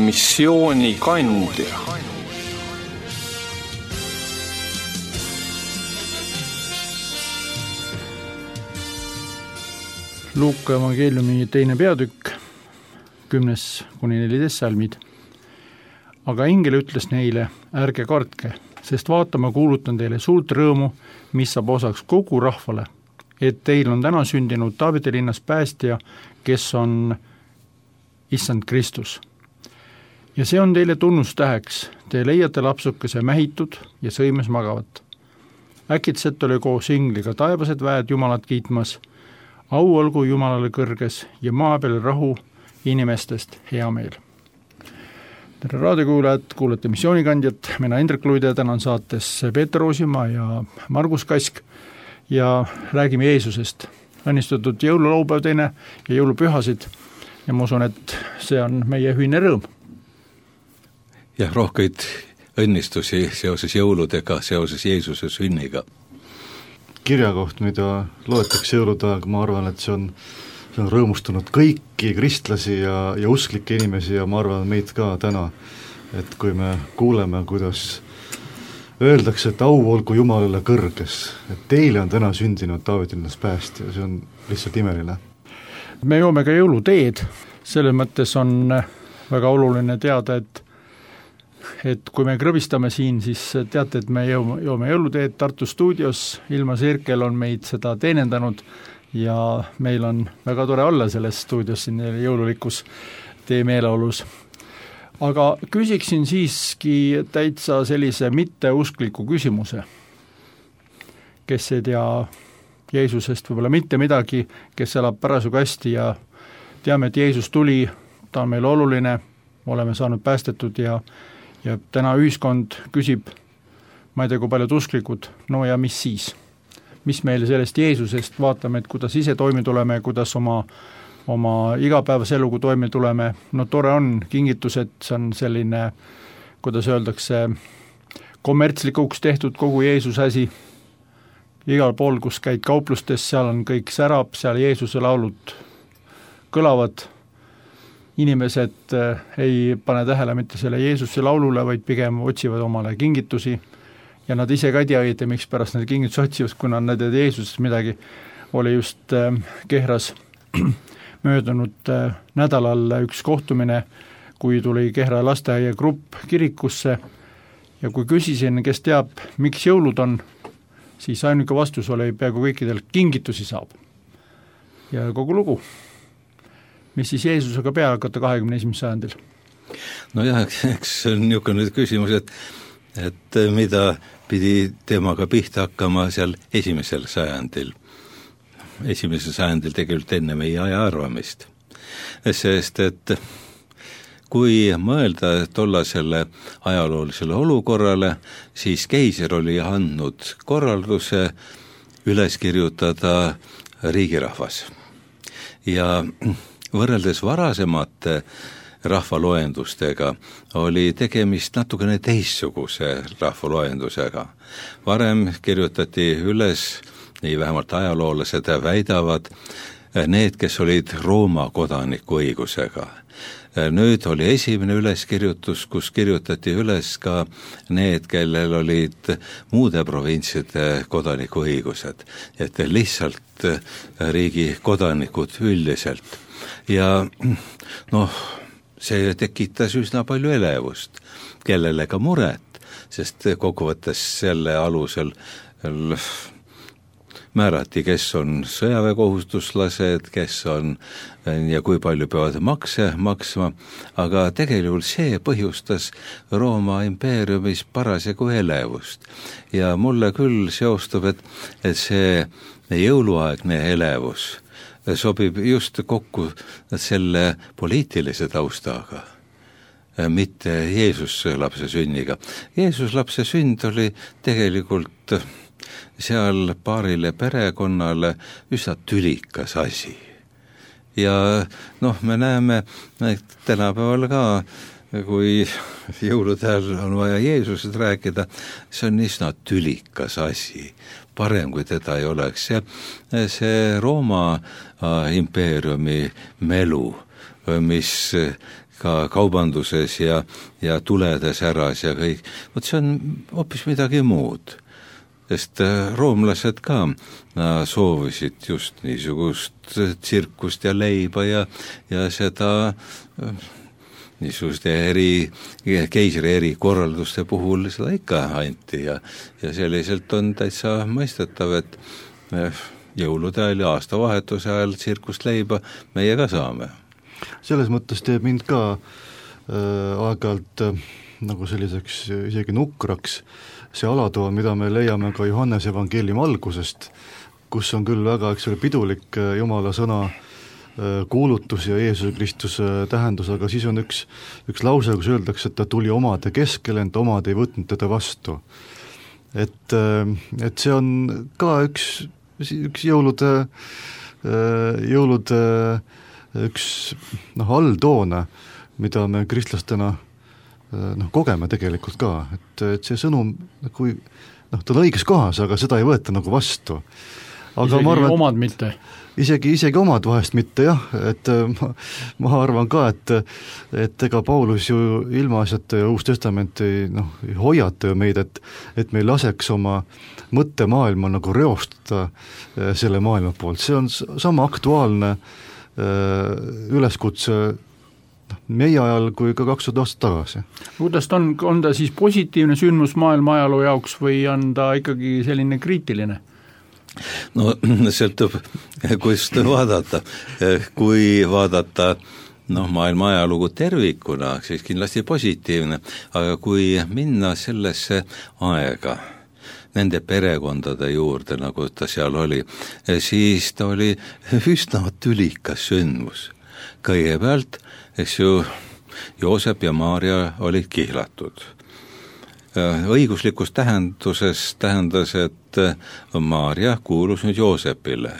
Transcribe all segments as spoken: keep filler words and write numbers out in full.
missiooni kandja. Luuka evangeeliumi teine peatükk, kümnes kuni neliteist salmid. Aga ingel ütles neile, ärge kartke, sest vaatama kuulutan teile suurt rõõmu, mis saab osaks kogu rahvale, et teil on täna sündinud Taaveti linnas päästja, kes on Issand Kristus. Ja see on teile tunnustäheks, te leiate lapsukese mähitud ja sõimes magavat. Äkitselt oli koos ingliga taevased väed Jumalat kiitmas, au olgu Jumalale kõrges ja maa peal rahu, inimestest hea meel. Tere raadiokuulajad, kuulete missioonikandjat, mina Indrek Luide, tänan saates Peeter Oosimaa ja Margus Kask ja räägime Jeesusest. Õnnistatud jõululaupäev teine ja jõulupühasid ja ma usun, et see on meie ühine rõõm. Ja rohkeid õnnistusi seoses jõuludega, seoses Jeesuse sünniga. Kirjakoht, mida loetakse jõuludaag, ma arvan, et see on, see on rõõmustanud kõiki kristlasi ja, ja usklikke inimesi ja ma arvan meid ka täna, et kui me kuuleme, kuidas öeldakse, et au olgu Jumalale kõrges, et teile on täna sündinud Taaveti linnas päästja, see on lihtsalt imeline. Me joome ka jõuluteed, selles mõttes on väga oluline teada, et et kui me krõbistame siin, siis teate, et me joome, joome jõuluteed Tartu stuudios, Ilma Sirkel on meid seda teenendanud ja meil on väga tore olla selles stuudios siin jõululikus tee meeleolus. Aga küsiksin siiski täitsa sellise mitteuskliku küsimuse, kes ei tea Jeesusest võib-olla mitte midagi, kes elab parasjagu hästi ja teame, et Jeesus tuli, ta on meil oluline, oleme saanud päästetud ja ja täna ühiskond küsib, ma ei tea, kui paljud usklikud, no ja mis siis? Mis meil sellest Jeesusest vaatame, et kuidas ise toime tuleme, kuidas oma, oma igapäevase elugu toime tuleme, no tore on kingitused, see on selline, kuidas öeldakse, kommertslikuks tehtud kogu Jeesuse asi, igal pool, kus käid kauplustes, seal on kõik särab, seal Jeesuse laulud kõlavad, inimesed ei pane tähele mitte selle Jeesuse laulule, vaid pigem otsivad omale kingitusi ja nad ise ka ei tea, et miks pärast need kingitusi otsivad, kuna nad ei Jeesusest midagi. Oli just Kehras möödunud nädalal üks kohtumine, kui tuli Kehra lasteaia grupp kirikusse ja kui küsisin, kes teab, miks jõulud on, siis ainuke vastus oli peaaegu kõikidel kingitusi saab. Ja kogu lugu. Mis siis Jeesusega peale hakata kahekümne esimesel sajandil? No jah, eks see on niisugune küsimus, et, et mida pidi temaga pihta hakkama seal esimesel sajandil. Esimesel sajandil tegelikult enne meie aja arvamist. Sest, et kui mõelda tollasele ajaloolisele olukorrale, siis keiser oli andnud korralduse üles kirjutada riigirahvas. Ja võrreldes varasemate rahvaloendustega oli tegemist natukene teistsuguse rahvaloendusega. Varem kirjutati üles, nii vähemalt ajaloolased väidavad, need, kes olid Rooma kodaniku õigusega. Nüüd oli esimene üleskirjutus, kus kirjutati üles ka need, kellel olid muude provintside kodaniku õigused, et lihtsalt riigi kodanikud üldiselt. Ja noh, see tekitas üsna palju elevust, kellele ka muret, sest kokkuvõttes selle alusel määrati, kes on sõjaväekohustuslased, kes on ja kui palju peavad makse maksma, aga tegelikult see põhjustas Rooma impeeriumis parasjagu elevust. Ja mulle küll seostub, et, et see jõuluaegne elevus sobib just kokku selle poliitilise taustaga, mitte Jeesus lapse sünniga. Jeesus lapse sünd oli tegelikult seal paarile perekonnale üsna tülikas asi. Ja noh, me näeme tänapäeval ka, kui jõulude ajal on vaja Jeesusest rääkida, see on üsna tülikas asi. Parem, kui teda ei oleks. See, see Rooma impeeriumi melu, mis ka kaubanduses ja, ja tuledes äras ja kõik, vot see on hoopis midagi muud. Sest roomlased ka soovisid just niisugust tsirkust ja leiba ja, ja seda niisuguste eri, keisri eri korralduste puhul seda ikka anti ja, ja selliselt on täitsa mõistetav, et jõulude ajal ja aastavahetuse ajal tsirkust leiba meie ka saame. Selles mõttes teeb mind ka äh, aeg-ajalt äh, nagu selliseks isegi nukraks see alatoa, mida me leiame ka Johannese evangeeliumi algusest, kus on küll väga, eks ole, pidulik Jumala sõna kuulutus ja Jeesuse Kristuse tähendus, aga siis on üks, üks lause, kus öeldakse, et ta tuli omade keskele, ent omad ei võtnud teda vastu. Et, et see on ka üks, üks jõulude, jõulude üks noh, alltoone, mida me kristlastena noh, kogeme tegelikult ka, et, et see sõnum, kui noh, ta on õiges kohas, aga seda ei võeta nagu vastu. Aga isegi ma arvan, omad mitte? Isegi, isegi omad vahest mitte, jah, et ma, ma arvan ka, et, et ega Paulus ju ilmaasjata ja Uus Testament ei, noh, ei hoiata ju meid, et, et me ei laseks oma mõttemaailma nagu reostada selle maailma poolt. See on sama aktuaalne üleskutse meie ajal kui ka kakssada aastat tagasi. Kuidas ta on, on ta siis positiivne sündmus maailma ajaloo jaoks või on ta ikkagi selline kriitiline? No sõltub, kust vaadata. Kui vaadata noh, maailma ajalugu tervikuna, siis kindlasti positiivne, aga kui minna sellesse aega, nende perekondade juurde, nagu ta seal oli, siis ta oli üsna tülikas sündmus. Kõigepealt, eks ju, Joosep ja Maarja olid kihlatud. Õiguslikus tähenduses tähendas, et Maarja kuulus nüüd Joosepile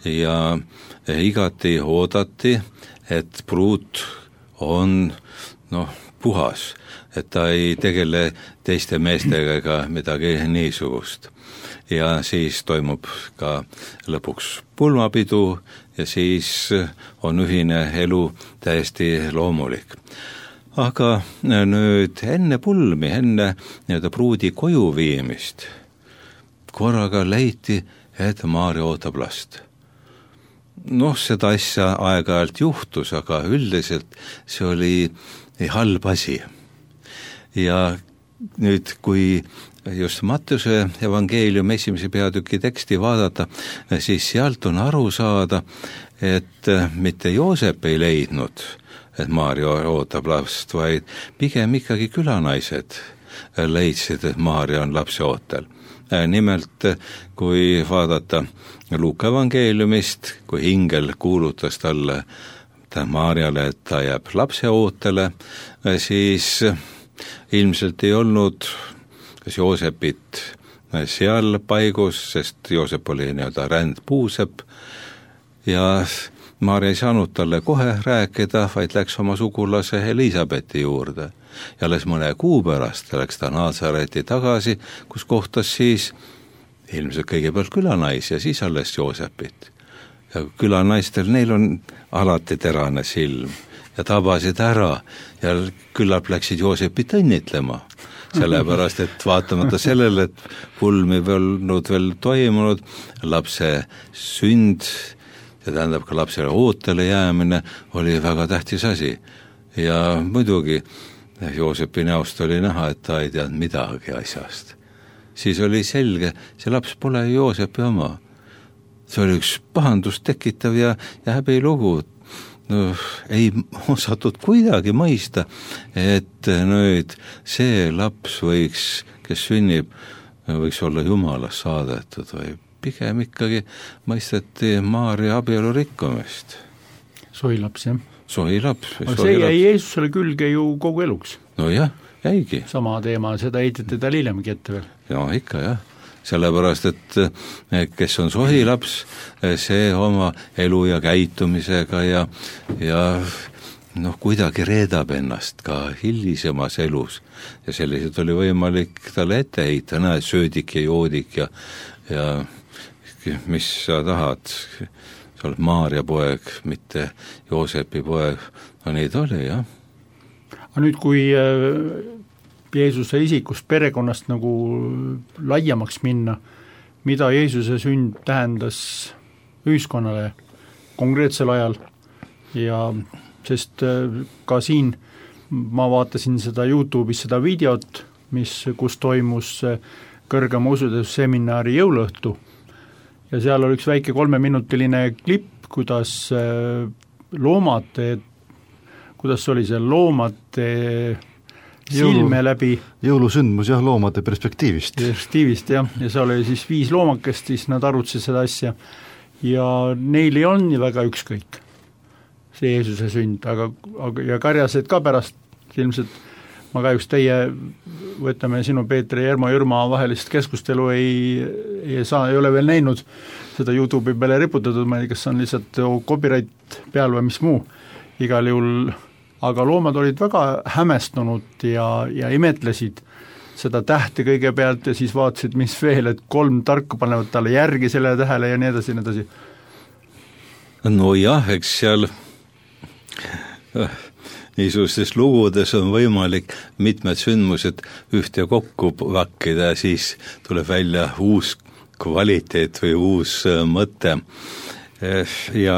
ja igati oodati, et pruut on noh, puhas, et ta ei tegele teiste meestega ega midagi niisugust. Ja siis toimub ka lõpuks pulmapidu ja siis on ühine elu täiesti loomulik. Aga nüüd enne pulmi, enne nii-öelda pruudi koju viimist, korraga leiti, et Maarja ootab last. Noh, seda asja aeg-ajalt juhtus, aga üldiselt see oli halb asi. Ja nüüd, kui just Mattuse evangeeliumi esimese peatüki teksti vaadata, siis sealt on aru saada, et mitte Joosep ei leidnud, et Maarja ootab last, vaid pigem ikkagi külanaised leidsid, et Maarja on lapse ootel. Nimelt, kui vaadata Luuka evangeeliumist, kui ingel kuulutas talle Maarjale, et ta jääb lapse ootele, siis ilmselt ei olnud kas Joosepit seal paigus, sest Joosep oli nii-öelda rändpuusepp ja Maarja ei saanud talle kohe rääkida, vaid läks oma sugulase Elisabethi juurde. Ja alles mõne kuu pärast läks ta Naasareti tagasi, kus kohtas siis ilmselt kõigepealt külanais ja siis alles Joosepit. Ja külanaistel, neil on alati terane silm ja tabasid ära ja küllap läksid Joosepit õnnitlema. Sellepärast, et vaatamata sellele, et pulmi olnud veel toimunud, lapse sünd, see tähendab ka lapsele ootele jäämine, oli väga tähtis asi. Ja muidugi Joosepi näost oli näha, et ta ei teadnud midagi asjast. Siis oli selge, see laps pole Joosepi oma. See oli üks pahandust tekitav ja, ja häbilugu. No, ei osatud kuidagi mõista, et nüüd see laps võiks, kes sünnib, võiks olla Jumalast saadetud või pigem ikkagi mõisteti Maarja abielu rikkumist. Sohilaps, jah? Sohilaps. Aga see jäi Jeesusele külge ju kogu eluks. No jah, jäigi. Sama teema, seda heitete ta hiljemgi ette veel. No ikka jah. Sellepärast, et kes on sohilaps, see oma elu ja käitumisega ja, ja noh, kuidagi reedab ennast ka hilisemas elus. Ja selliselt oli võimalik talle ette heita, näed, söödik ja joodik ja, ja mis sa tahad, sa oled Maarja poeg, mitte Joosepi poeg. No nii ta oli, jah. aga nüüd, kui Jeesuse isikust perekonnast nagu laiemaks minna, mida Jeesuse sünd tähendas ühiskonnale konkreetsel ajal ja sest ka siin ma vaatasin seda YouTube'is seda videot, mis, kus toimus kõrgema ususeminari jõuluõhtu ja seal oli üks väike kolmeminutiline klipp, kuidas loomad, kuidas oli see loomade silme Jõulu, läbi jõulusündmus jah, loomade perspektiivist. Perspektiivist jah, ja see oli siis viis loomakest, siis nad arutasid seda asja ja neil ei olnud nii väga ükskõik see Jeesuse sünd, aga, aga ja karjased ka pärast ilmselt, ma kahjuks teie, võtame sinu Peetri ja Ermo Jürma vahelist keskustelu ei, ei saa, ei ole veel näinud seda YouTube'i peale riputatud, ma ei tea, kas on lihtsalt copyright peal või mis muu, igal juhul aga loomad olid väga hämestunud ja, ja imetlesid seda tähte kõigepealt ja siis vaatasid, mis veel, et kolm tarku panevad talle järgi selle tähele ja nii edasi, nii edasi. No jah, eks seal niisugustes lugudes on võimalik mitmed sündmused ühte kokku vakkida ja siis tuleb välja uus kvaliteet või uus mõte ja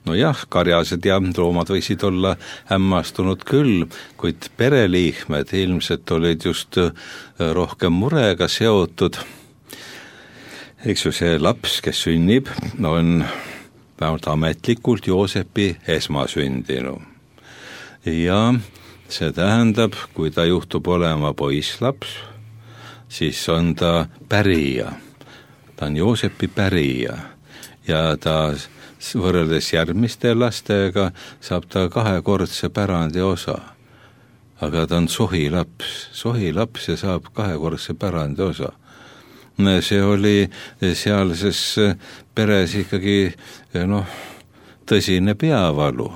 no jah, karjased ja loomad võisid olla hämmastunud küll, kuid pereliikmed ilmselt olid just rohkem murega seotud. Eks ju see laps, kes sünnib, on vähemalt ametlikult Joosepi esmasündinu. Ja see tähendab, kui ta juhtub olema poisslaps, siis on ta pärija. Ta on Joosepi pärija ja ta võrreldes järgmiste lastega saab ta kahekordse pärandi osa. Aga ta on sohilaps, sohilaps ja saab kahekordse pärandi osa. See oli sealses peres ikkagi noh, tõsine peavalu.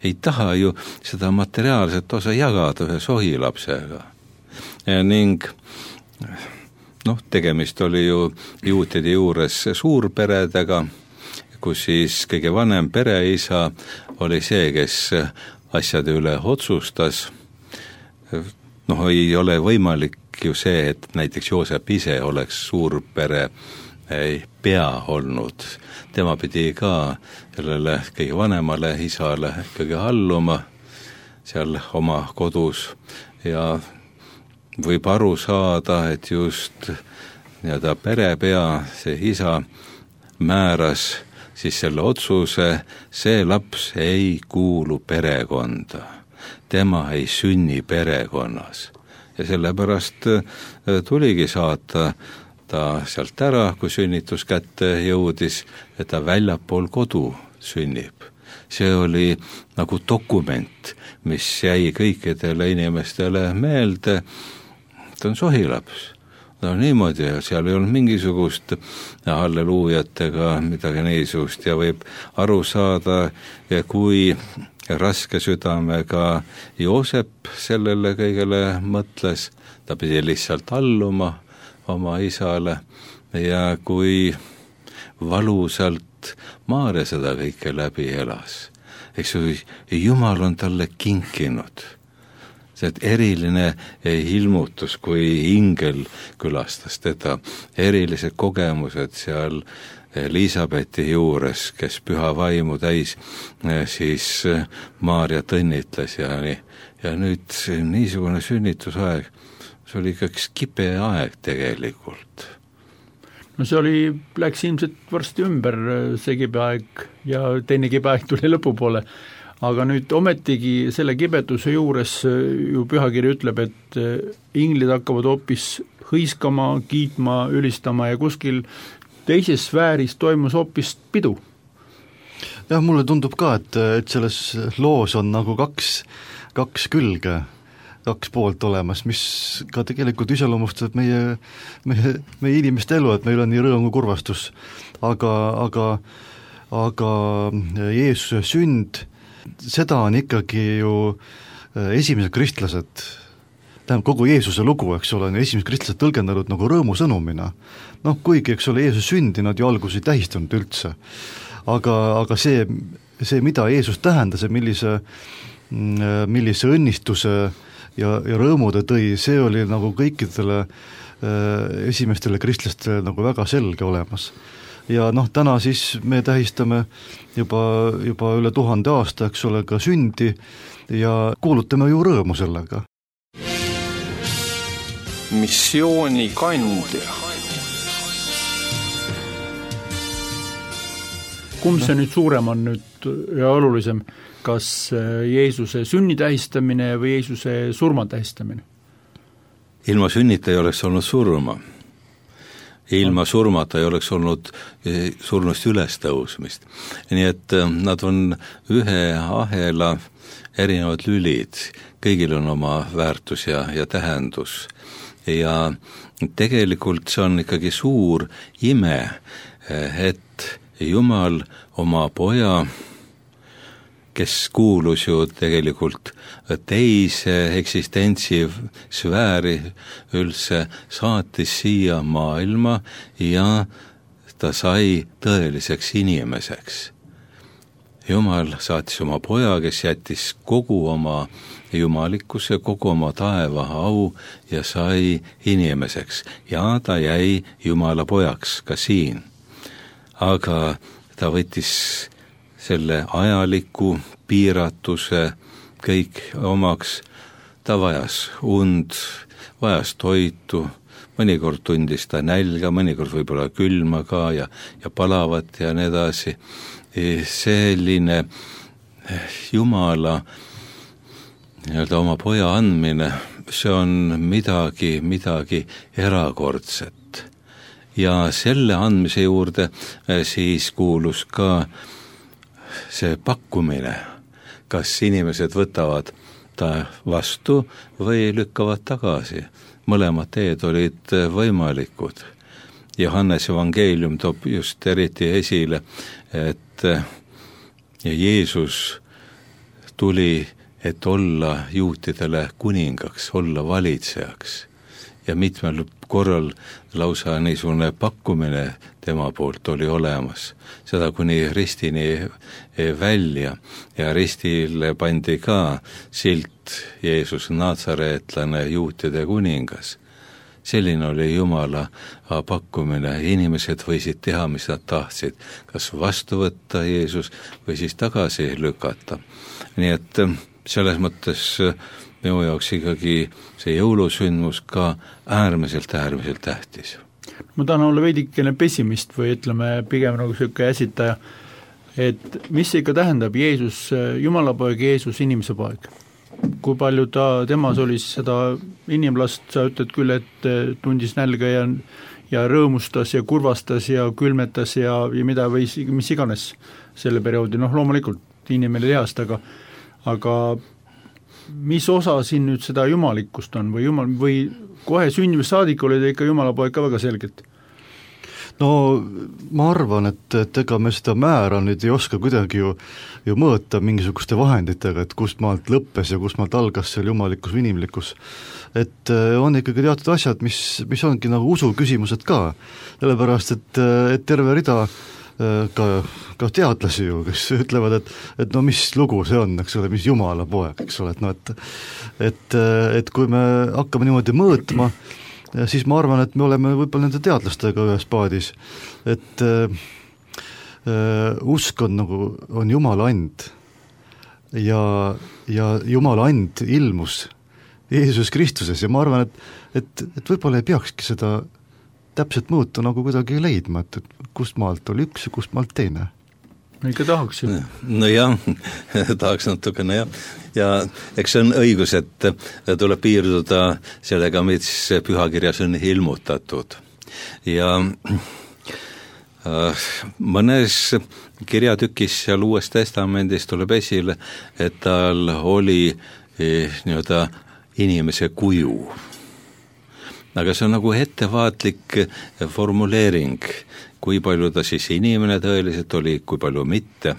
Ei taha ju seda materiaalset osa jagada ühe sohilapsega. Ja ning noh, tegemist oli ju juutide juures suurperedega, kus siis kõige vanem pereisa oli see, kes asjade üle otsustas. Noh, ei ole võimalik ju see, et näiteks Joosep ise oleks suurpere pea olnud. Tema pidi ka sellele kõige vanemale isale kõige alluma seal oma kodus ja võib aru saada, et just nii-öelda perepea, see isa määras siis selle otsuse, see laps ei kuulu perekonda. Tema ei sünni perekonnas. Ja sellepärast tuligi saata ta sealt ära, kui sünnitus kätte jõudis, et ta väljapool kodu sünnib. See oli nagu dokument, mis jäi kõikidele inimestele meelde. Ta on sohilaps. No niimoodi, seal ei olnud mingisugust halleluujatega midagi niisugust ja võib aru saada, kui raske südamega Joosep sellele kõigele mõtles, ta pidi lihtsalt alluma oma isale ja kui valusalt Maarja seda kõike läbi elas. Eks ju, Jumal on talle kinkinud see eriline ilmutus, kui ingel külastas teda, erilised kogemused seal Elisabethi juures, kes püha vaimu täis, siis Maarja õnnitles ja nii. Ja nüüd niisugune sünnitusaeg, see oli ikkagi kipe aeg tegelikult. No see oli, läks ilmselt varsti ümber see kibeaeg ja teine kibeaeg tuli lõpupoole. Aga nüüd ometigi selle kibeduse juures ju pühakiri ütleb, et inglid hakkavad hoopis hõiskama, kiitma, ülistama ja kuskil teises sfääris toimus hoopis pidu. Jah, mulle tundub ka, et, et selles loos on nagu kaks, kaks külge, kaks poolt olemas, mis ka tegelikult iseloomustab meie, meie, meie inimeste elu, et meil on nii rõõm kui kurvastus. Aga, aga, aga Jeesuse sünd, seda on ikkagi ju esimesed kristlased, tähendab kogu Jeesuse lugu, eks ole, on esimesed kristlased tõlgendanud nagu rõõmusõnumina. Noh, kuigi, eks ole, Jeesus sündi nad ju algus ei tähistanud üldse. Aga, aga see, see, mida Jeesus tähendas ja millise, millise õnnistuse ja, ja rõõmu ta tõi, see oli nagu kõikidele esimestele kristlastele nagu väga selge olemas. Ja noh, täna siis me tähistame juba, juba üle tuhande aasta, eks ole, ka sündi ja kuulutame ju rõõmu sellega. Missiooni kandja. Kumb see nüüd suurem on nüüd ja olulisem, kas Jeesuse sünni tähistamine või Jeesuse surma tähistamine? Ilma sünnita ei oleks olnud surma. Ilma surmata ei oleks olnud surnust üles tõusmist. Nii et nad on ühe ahela erinevad lülid, kõigil on oma väärtus ja, ja tähendus. Ja tegelikult see on ikkagi suur ime, et Jumal oma poja, kes kuulus ju tegelikult teise eksistentsi sfääri üldse, saatis siia maailma ja ta sai tõeliseks inimeseks. Jumal saatis oma poja, kes jättis kogu oma jumalikkuse, kogu oma taeva au ja sai inimeseks. Ja ta jäi Jumala pojaks ka siin. Aga ta võttis selle ajaliku piiratuse kõik omaks, ta vajas und, vajas toitu, mõnikord tundis ta nälga, mõnikord võib-olla külma ka ja, ja palavat ja nii edasi. Selline Jumala nii-öelda oma poja andmine, see on midagi, midagi erakordset. Ja selle andmise juurde siis kuulus ka see pakkumine, kas inimesed võtavad ta vastu või lükkavad tagasi. Mõlemad teed olid võimalikud. Johannes evangeelium toob just eriti esile, et Jeesus tuli, et olla juutidele kuningaks, olla valitsejaks. Ja mitmel korral lausa niisugune pakkumine tema poolt oli olemas. Seda kuni ristini välja ja ristile pandi ka silt Jeesus Natsareetlane, juutide kuningas. Selline oli Jumala pakkumine. Inimesed võisid teha, mis nad tahtsid. Kas vastu võtta Jeesus või siis tagasi lükata. Nii et selles mõttes minu jaoks ikkagi see jõulusündmus ka äärmiselt, äärmiselt tähtis. Ma tahan olla veidikene pessimist või ütleme pigem nagu selline äsitaja, et mis ikka tähendab Jeesus, Jumala poeg, Jeesus, inimese poeg? Kui palju ta, temas oli seda inimlast, sa ütled küll, et tundis nälga ja, ja rõõmustas ja kurvastas ja külmetas ja, ja mida või mis iganes selle perioodi, noh loomulikult inimene lihast, aga, aga mis osa siin nüüd seda jumalikkust on või jumal, või kohe sünnimist saadik oli ta ikka Jumala poeg ka väga selgelt? No ma arvan, et, et ega me seda määra nüüd ei oska kuidagi ju, ju mõõta mingisuguste vahenditega, et kust maalt lõppes ja kust maalt algas seal jumalikkus või inimlikkus. Et on ikkagi teatud asjad, mis, mis ongi nagu usu küsimused ka, sellepärast et, et terve rida ka, ka teadlasi ju, kes ütlevad, et, et no mis lugu see on, eks ole, mis Jumala poeg, eks ole, et no et, et, et kui me hakkame niimoodi mõõtma, siis ma arvan, et me oleme võib-olla nende teadlastega ühes paadis, et äh, usk on nagu, on Jumala and ja, ja Jumala and ilmus Jeesus Kristuses ja ma arvan, et, et, et võib-olla ei peakski seda täpselt mõõta nagu kuidagi leidma, et, et kust maalt oli üks ja kust maalt teine. Ikka tahaks ju. No jah, tahaks natukene jah. Ja eks see on õigus, et tuleb piirduda sellega, mis pühakirjas on ilmutatud. Ja äh, mõnes kirjatükis seal Uues Testamendis tuleb esile, et tal oli eh, nii-öelda inimese kuju. Aga see on nagu ettevaatlik formuleering, kui palju ta siis inimene tõeliselt oli, kui palju mitte.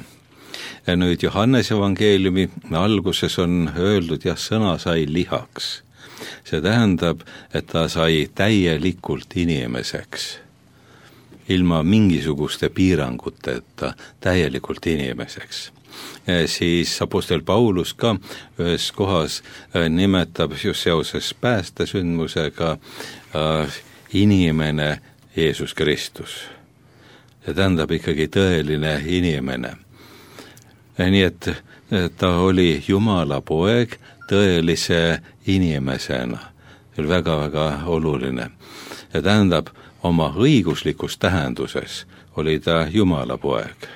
Ja nüüd Johannes evangeeliumi alguses on öeldud, jah, sõna sai lihaks. See tähendab, et ta sai täielikult inimeseks. Ilma mingisuguste piiranguteta täielikult inimeseks. siis apostel Paulus ka ühes kohas nimetab just seoses päästesündmusega inimene Jeesus Kristus. See tähendab ikkagi tõeline inimene. Nii et ta oli Jumala poeg tõelise inimesena. See oli väga-väga oluline. Ja tähendab, oma õiguslikus tähenduses oli ta Jumala poeg.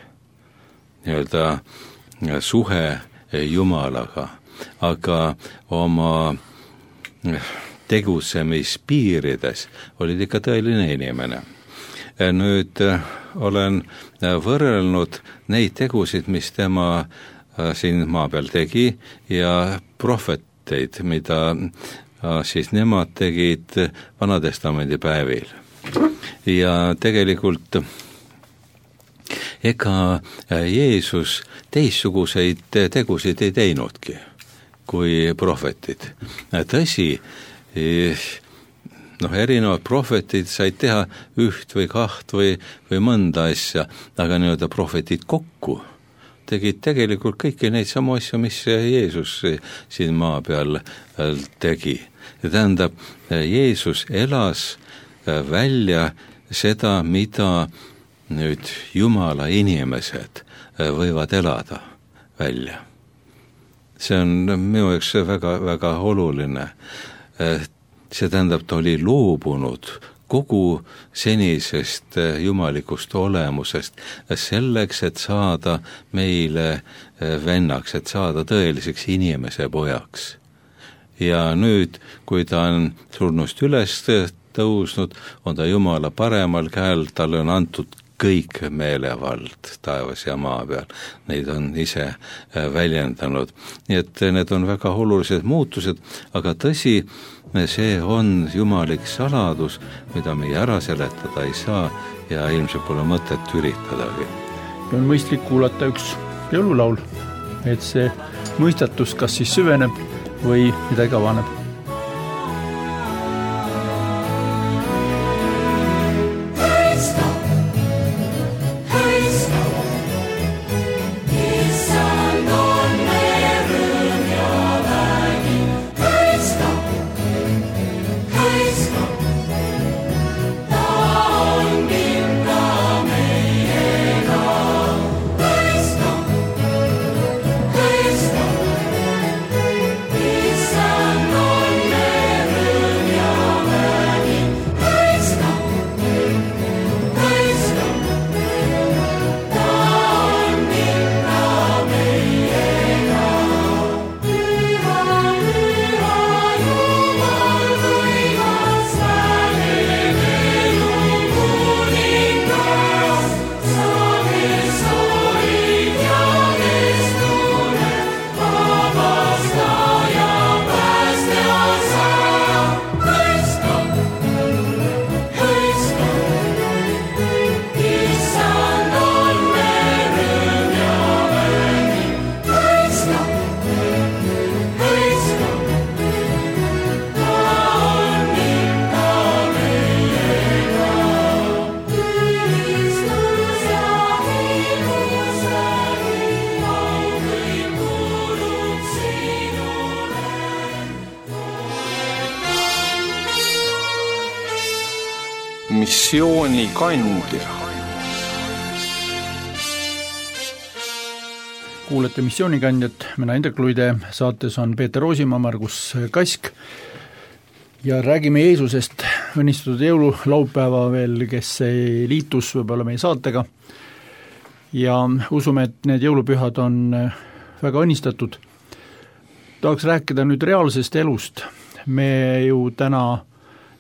Nii-öelda suhe Jumalaga, aga oma tegutsemispiirides olid ikka tõeline inimene. Nüüd olen võrrelnud neid tegusid, mis tema siin maa peal tegi ja prohveteid, mida siis nemad tegid Vanatestamendi päevil. Ja tegelikult ega Jeesus teistsuguseid tegusid ei teinudki kui prohvetid. Tõsi, noh, erinevad prohvetid said teha üht või kaht või, või mõnda asja, aga nii-öelda prohvetid kokku tegid tegelikult kõiki neid samu asju, mis Jeesus siin maa peal tegi. Ja tähendab, Jeesus elas välja seda, mida nüüd Jumala inimesed võivad elada välja. See on minu jaoks väga, väga oluline. See tähendab, ta oli loobunud kogu senisest jumalikust olemusest selleks, et saada meile vennaks, et saada tõeliseks inimese pojaks. Ja nüüd, kui ta on surnust üles tõusnud, on ta Jumala paremal käel, talle on antud kõik meelevald taevas ja maa peal. Neid on ise väljendanud. Nii et need on väga olulised muutused, aga tõsi, see on jumalik saladus, mida me ära seletada ei saa ja ilmselt pole mõtet üritadagi. On mõistlik kuulata üks jõululaul, et see mõistatus kas siis süveneb või midagi avaneb. Missioonikandja. Kuulete Missioonikandjat, mina Indrek Luide, saates on Peeter Roosimaa, Margus Kask ja räägime Jeesusest. Õnnistatud jõululaupäeva veel, kes liitus võib-olla meie saatega ja usume, et need jõulupühad on väga õnnistatud. Tahaks rääkida nüüd reaalsest elust. Me ju täna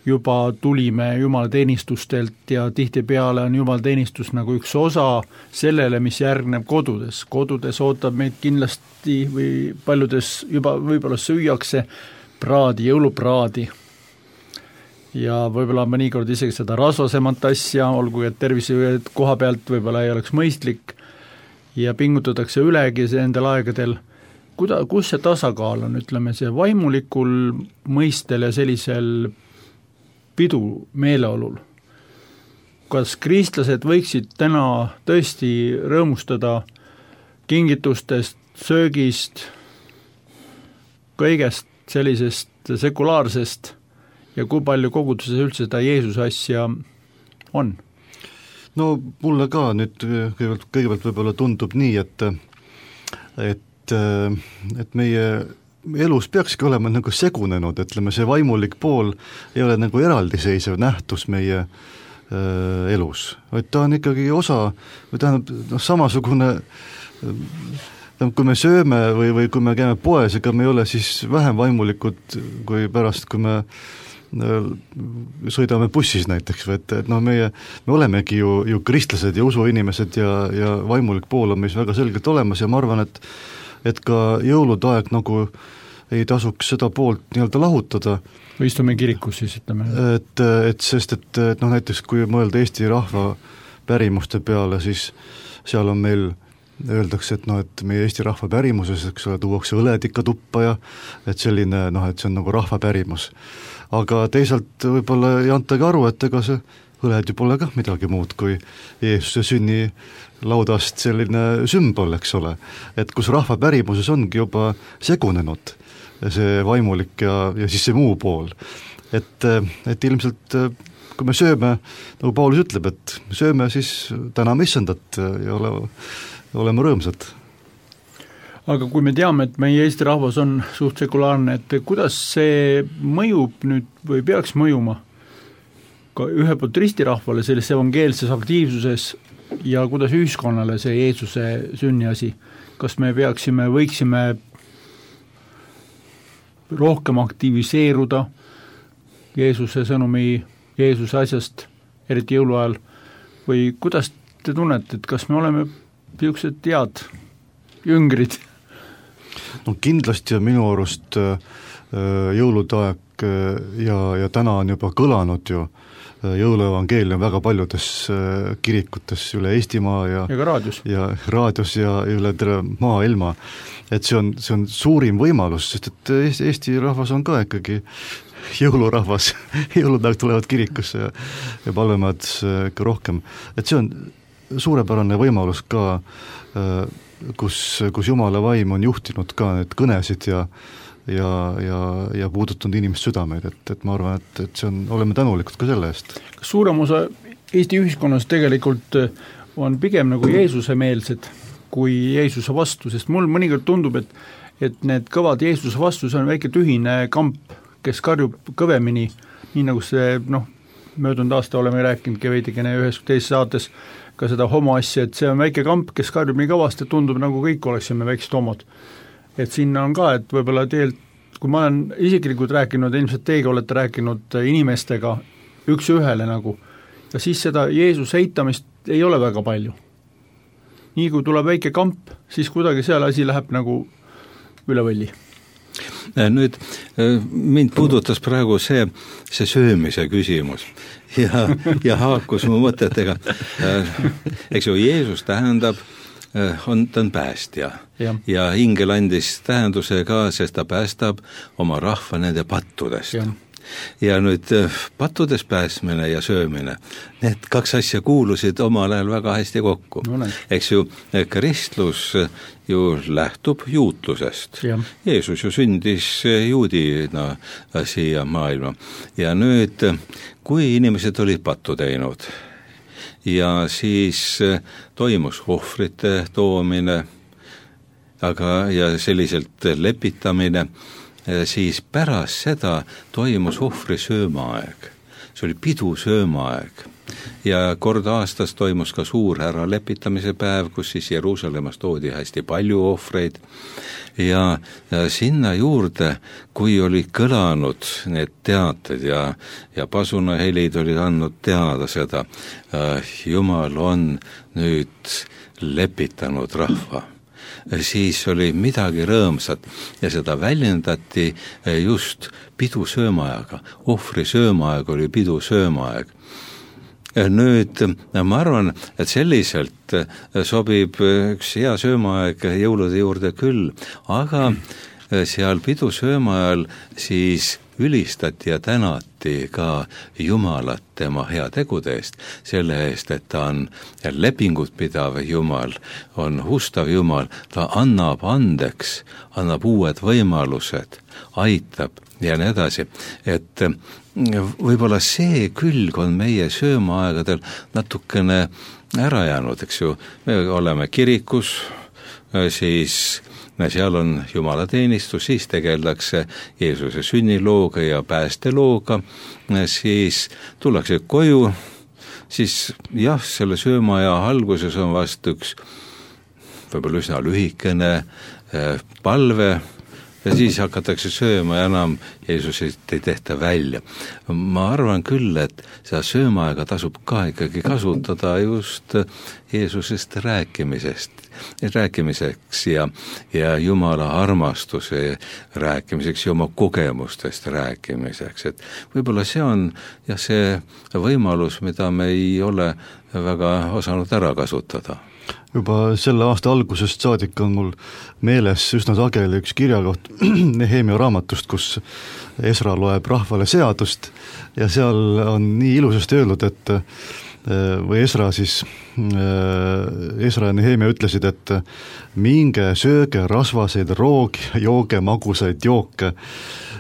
juba tulime jumalateenistustelt ja tihtipeale on jumalateenistus nagu üks osa sellele, mis järgneb kodudes. Kodudes ootab meid kindlasti või paljudes juba võib-olla süüakse praadi, jõulupraadi. Ja võib-olla mõnikord isegi seda rasvasemat asja, olgu et tervise koha pealt võib-olla ei oleks mõistlik ja pingutatakse ülegi nendel aegadel. Kuda, kus see tasakaal on, ütleme see vaimulikul mõistel ja sellisel pidu meeleolul. Kas kristlased võiksid täna tõesti rõõmustada kingitustest, söögist, kõigest sellisest sekulaarsest ja kui palju koguduses üldse seda Jeesuse asja on? No mulle ka nüüd kõigepealt, kõigepealt võib-olla tundub nii, et et, et meie elus peakski olema nagu segunenud, ütleme see vaimulik pool ei ole nagu eraldiseisev nähtus meie äh, elus, vaid ta on ikkagi osa, või tähendab noh, samasugune äh, kui me sööme või, või kui me käime poes, ega me ei ole siis vähem vaimulikud kui pärast, kui me äh, sõidame bussis näiteks, või et, et noh, meie, me olemegi ju, ju kristlased ja usuinimesed ja, ja vaimulik pool on meis väga selgelt olemas ja ma arvan, et et ka jõulude aeg nagu ei tasuks seda poolt nii-öelda lahutada. Või istume kirikus siis, ütleme. Et, et sest, et, et noh, näiteks kui mõelda Eesti rahva pärimuste peale, siis seal on meil, öeldakse, et noh, et meie Eesti rahva pärimuses, eks ole, tuuakse õled ikka tuppa ja et selline, noh, et see on nagu rahva pärimus. Aga teisalt võib-olla ei antagi aru, et ega see õled ju pole kah midagi muud kui Jeesuse sünni laudast selline sümbol, eks ole, et kus rahva pärimuses ongi juba segunenud see vaimulik ja, ja siis see muu pool. Et, et ilmselt kui me sööme, nagu Paulus ütleb, et sööme siis täname issandat ja ole, oleme rõõmsad. Aga kui me teame, et meie Eesti rahvas on suht sekulaarne, et kuidas see mõjub nüüd või peaks mõjuma ka ühe poolt ristirahvale selles evangeelses aktiivsuses ja kuidas ühiskonnale see Jeesuse sünni asi, kas me peaksime, võiksime rohkem aktiviseeruda Jeesuse sõnumi, Jeesuse asjast, eriti jõuluajal, või kuidas te tunnete, et kas me oleme niisugused head jüngrid? No kindlasti on minu arust jõulude aeg ja, ja täna on juba kõlanud ju jõuluevangeelium väga paljudes kirikutes üle Eestimaa ja, ja ka raadios ja, raadios ja üle terve maailma, et see on, see on suurim võimalus, sest et Eesti, Eesti rahvas on ka ikkagi jõulurahvas, jõulude aeg tulevad kirikusse ja, ja palvemad ikka rohkem, et see on suurepärane võimalus ka, kus, kus Jumala vaim on juhtinud ka need kõnesid ja ja, ja, ja puudutanud inimest südameid, et, et ma arvan, et, et see on, oleme tänulikud ka selle eest. Kas suurem osa Eesti ühiskonnas tegelikult on pigem nagu Jeesuse-meelsed kui Jeesuse vastu, sest mul mõnikord tundub, et, et need kõvad Jeesuse vastu, see on väike tühine kamp, kes karjub kõvemini, nii nagu see, noh, möödunud aasta oleme rääkinudki veidikene ühes teises saates ka seda homo asja, et see on väike kamp, kes karjub nii kõvasti, et tundub nagu kõik oleksime väiksed homod. Et sinna on ka, et võib-olla teelt, kui ma olen isiklikult rääkinud, ilmselt teiega olete rääkinud inimestega üks ühele nagu, ja siis seda Jeesuse eitamist ei ole väga palju. Nii kui tuleb väike kamp, siis kuidagi seal asi läheb nagu üle võlli. Nüüd mind puudutas praegu see, see söömise küsimus ja, ja haakus mu mõtetega. Eks ju, Jeesus tähendab, on, ta on päästja ja, ja ingel andis tähenduse ka, sest ta päästab oma rahva nende pattudest. Ja. ja nüüd pattudes pääsmine ja söömine, need kaks asja kuulusid omal ajal väga hästi kokku. No, eks ju, kristlus ju lähtub juutlusest. Ja. Jeesus ju sündis juudina siia maailma ja nüüd, kui inimesed olid pattu teinud, ja siis toimus ohvrite toomine, aga ja selliselt lepitamine, siis pärast seda toimus ohvri söömaaeg. See oli pidu söömaaeg. Ja kord aastas toimus ka suur ära lepitamise päev, kus siis Jeruusalemmas toodi hästi palju ohvreid ja, ja sinna juurde, kui oli kõlanud need teated ja, ja pasunahelid olid andnud teada seda, Jumal on nüüd lepitanud rahva, siis oli midagi rõõmsat ja seda väljendati just pidu söömaaega, ohvri söömaaeg oli pidu söömaaeg. Nüüd ma arvan, et selliselt sobib üks hea söömaaeg jõulude juurde küll, aga seal pidu söömaajal siis ülistati ja tänati ka Jumalat tema hea tegude eest, selle eest, et ta on lepingut pidav Jumal, on hustav Jumal, ta annab andeks, annab uued võimalused, aitab ja nii edasi, et võib-olla see külg on meie söömaaegadel natukene ära jäänud, eks ju, me oleme kirikus, siis seal on jumalateenistus, siis tegeldakse Jeesuse sünnilooga ja päästelooga, siis tullakse koju, siis jah, selle söömaaja alguses on vast üks võib-olla üsna lühikene palve, ja siis hakatakse sööma ja enam Jeesusit ei tehta välja. Ma arvan küll, et seda söömaaega tasub ka ikkagi kasutada just Jeesusest rääkimisest, rääkimiseks ja, ja Jumala armastuse rääkimiseks ja oma kogemustest rääkimiseks. Et võib-olla see on jah, see võimalus, mida me ei ole väga osanud ära kasutada. Juba selle aasta algusest saadik on mul meeles üsna sageli üks kirjakoht Nehemia raamatust, kus Esra loeb rahvale seadust ja seal on nii ilusasti öeldud, et või Esra siis, Esra ja Nehemia ütlesid, et minge sööge rasvaseid roogi, jooge magusaid jooke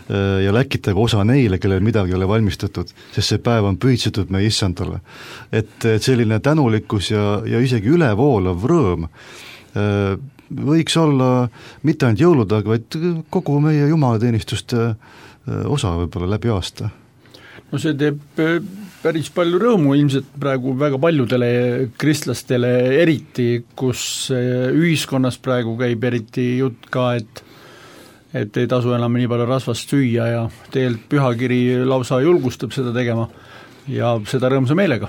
ja läkitage osa neile, kellel midagi ei ole valmistatud, sest see päev on pühitsetud meie issandale. Et selline tänulikkus ja, ja isegi ülevoolav rõõm võiks olla mitte ainult jõulude, vaid kogu meie jumalateenistuste osa võib-olla läbi aasta. No see teeb päris palju rõõmu ilmselt praegu väga paljudele kristlastele eriti, kus ühiskonnas praegu käib eriti jutt ka, et et ei tasu enam nii palju rasvast süüa ja tegelikult pühakiri lausa julgustab seda tegema ja seda rõõmsa meelega.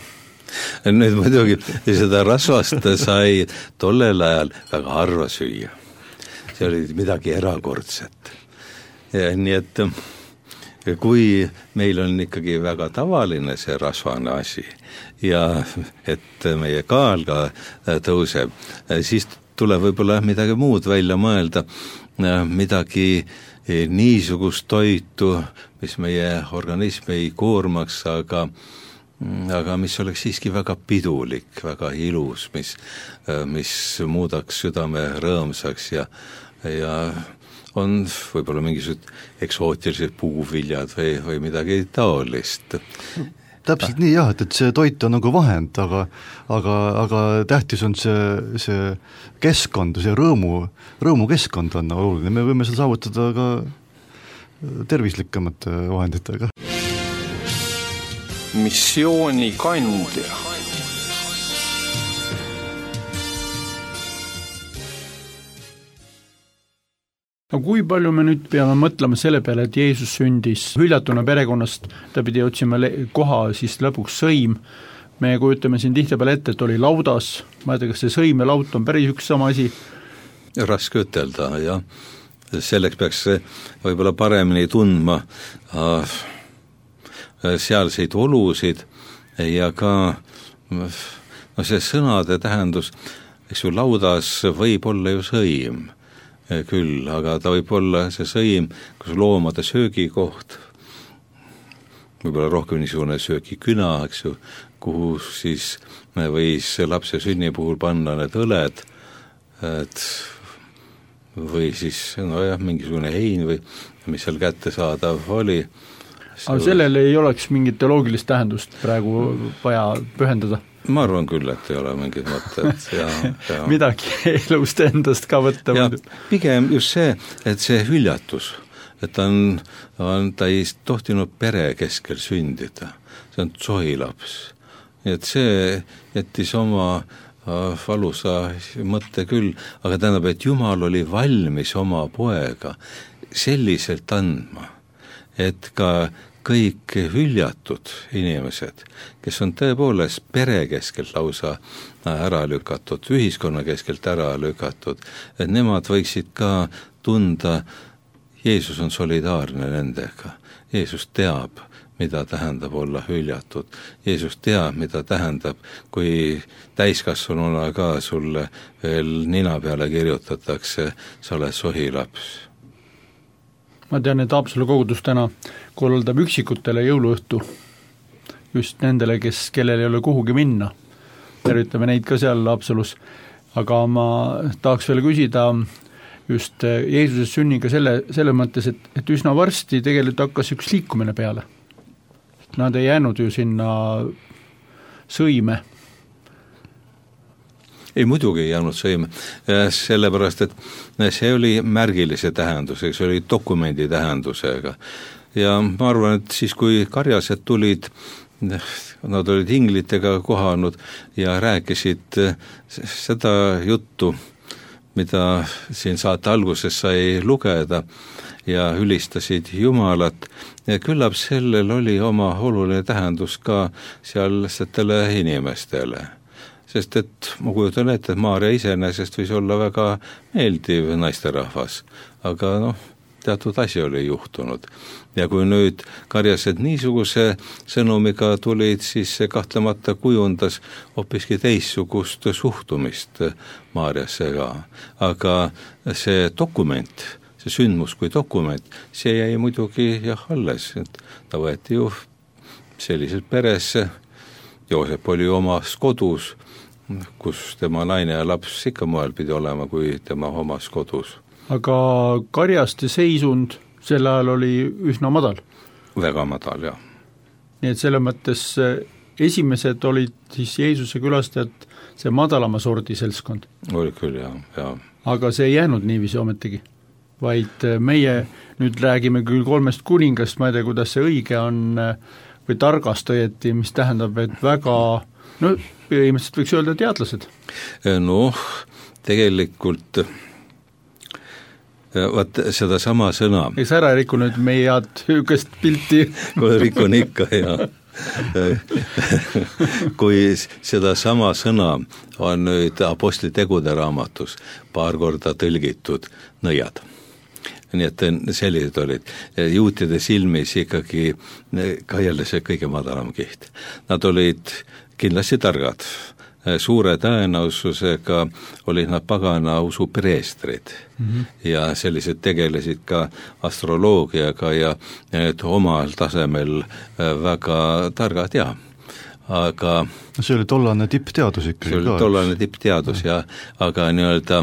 Nüüd muidugi seda rasvast sai tollel ajal väga harva süüa. See oli midagi erakordset. Ja nii et kui meil on ikkagi väga tavaline see rasvane asi ja et meie kaal ka tõuseb, siis tuleb võib-olla midagi muud välja mõelda, midagi niisugust toitu, mis meie organismi ei koormaks, aga, aga mis oleks siiski väga pidulik, väga ilus, mis, mis muudaks südame rõõmsaks ja, ja on võib-olla mingisugused eksootilised puuviljad või, või midagi taolist. Täpselt nii jah, et, et see toit on nagu vahend, aga, aga, aga tähtis on see, see keskkond, see rõõmu, rõõmukeskkond on oluline, me võime seda saavutada ka tervislikumate vahenditega. Missioonikandja. No kui palju me nüüd peame mõtlema selle peale, et Jeesus sündis hüljatuna perekonnast, ta pidi otsima koha, siis lõpuks sõim. Me kujutame siin tihtipeale ette, et oli laudas, ma ei tea, kas see sõim ja laut on päris üks sama asi? Raske ütelda, jah. Selleks peaks võib-olla paremini tundma sealseid olusid ja ka no see sõnade tähendus, eks ju, laudas võib olla ju sõim küll, aga ta võib olla see sõim, kus loomade söögikoht, võib-olla rohkem niisugune söögiküna, eks ju, kuhu siis võis lapse sünni puhul panna need õled, et või siis no jah, mingisugune hein või mis seal kättesaadav oli. Aga sellele ei oleks mingit teoloogilist tähendust praegu vaja pühendada? Ma arvan küll, et ei ole mingid mõtted. Ja, ja. Midagi elust endast ka võtta. Ja, pigem just see, et see hüljatus, et ta, on, on, ta ei tohtinud pere keskel sündida. See on tsohilaps. Nii et see jättis oma valusa mõtte küll, aga tähendab, et Jumal oli valmis oma poega selliselt andma, et ka kõik hüljatud inimesed, kes on tõepoolest pere keskelt lausa ära lükatud, ühiskonna keskelt ära lükatud, et nemad võiksid ka tunda, Jeesus on solidaarne nendega, Jeesus teab, mida tähendab olla hüljatud, Jeesus teab, mida tähendab, kui täiskasvanuna ka sulle veel nina peale kirjutatakse, sa oled sohilaps. ma tean, et Haapsalu kogudus täna korraldab üksikutele jõuluõhtu, just nendele, kes, kellel ei ole kuhugi minna. Tervitame neid ka seal Haapsalus. Aga ma tahaks veel küsida just Jeesuse sünniga selle, selle mõttes, et, et üsna varsti tegelikult hakkas üks liikumine peale. Nad ei jäänud ju sinna sõime. Ei, muidugi ei jäänud sõime, sellepärast, et see oli märgilise tähendusega, see oli dokumendi tähendusega. Ja ma arvan, et siis, kui karjased tulid, nad olid inglitega kohanud ja rääkisid seda juttu, mida siin saate alguses sai lugeda ja ülistasid Jumalat, ja küllap sellel oli oma oluline tähendus ka sealsetele inimestele. Sest et ma kujutan ette, et Maarja iseenesest võis olla väga meeldiv naisterahvas, aga noh, teatud asi oli juhtunud. Ja kui nüüd karjased niisuguse sõnumiga tulid, siis see kahtlemata kujundas hoopiski teissugust suhtumist Maarjasse ka. Aga see dokument, see sündmus kui dokument, see jäi muidugi jah alles. Ta võeti ju selliselt peresse, Joosep oli omas kodus, kus tema naine ja laps ikka moel pidi olema, kui tema omas kodus. Aga karjaste seisund sel ajal oli üsna madal. Väga madal, jah. Nii et selle mõttes esimesed olid siis Jeesuse külastajad see madalama sordi seltskond. Oli küll, jah, jah. Aga see ei jäänud niiviisi ometigi, vaid meie nüüd räägime küll kolmest kuningast, ma ei tea, kuidas see õige on, või targast õieti, mis tähendab, et väga, no põhimõtteliselt võiks öelda teadlased. Noh, tegelikult vaat seda sama sõna. Eks ära riku nüüd meie head hüükest pilti. Kui rikun ikka, jah. Kui seda sama sõna on nüüd Apostli tegude raamatus paar korda tõlgitud nõiad. Nii et sellised olid. Juutide silmis ikkagi ka jälle see kõige madalam kiht. Nad olid kindlasti targad. Suure tõenäosusega olid nad pagana usu preestrid mm-hmm. ja sellised tegelesid ka astroloogiaga ja et omal tasemel väga targad, ja aga see oli tollane tippteadus ikkagi. See oli tollane tippteadus, ja aga nii-öelda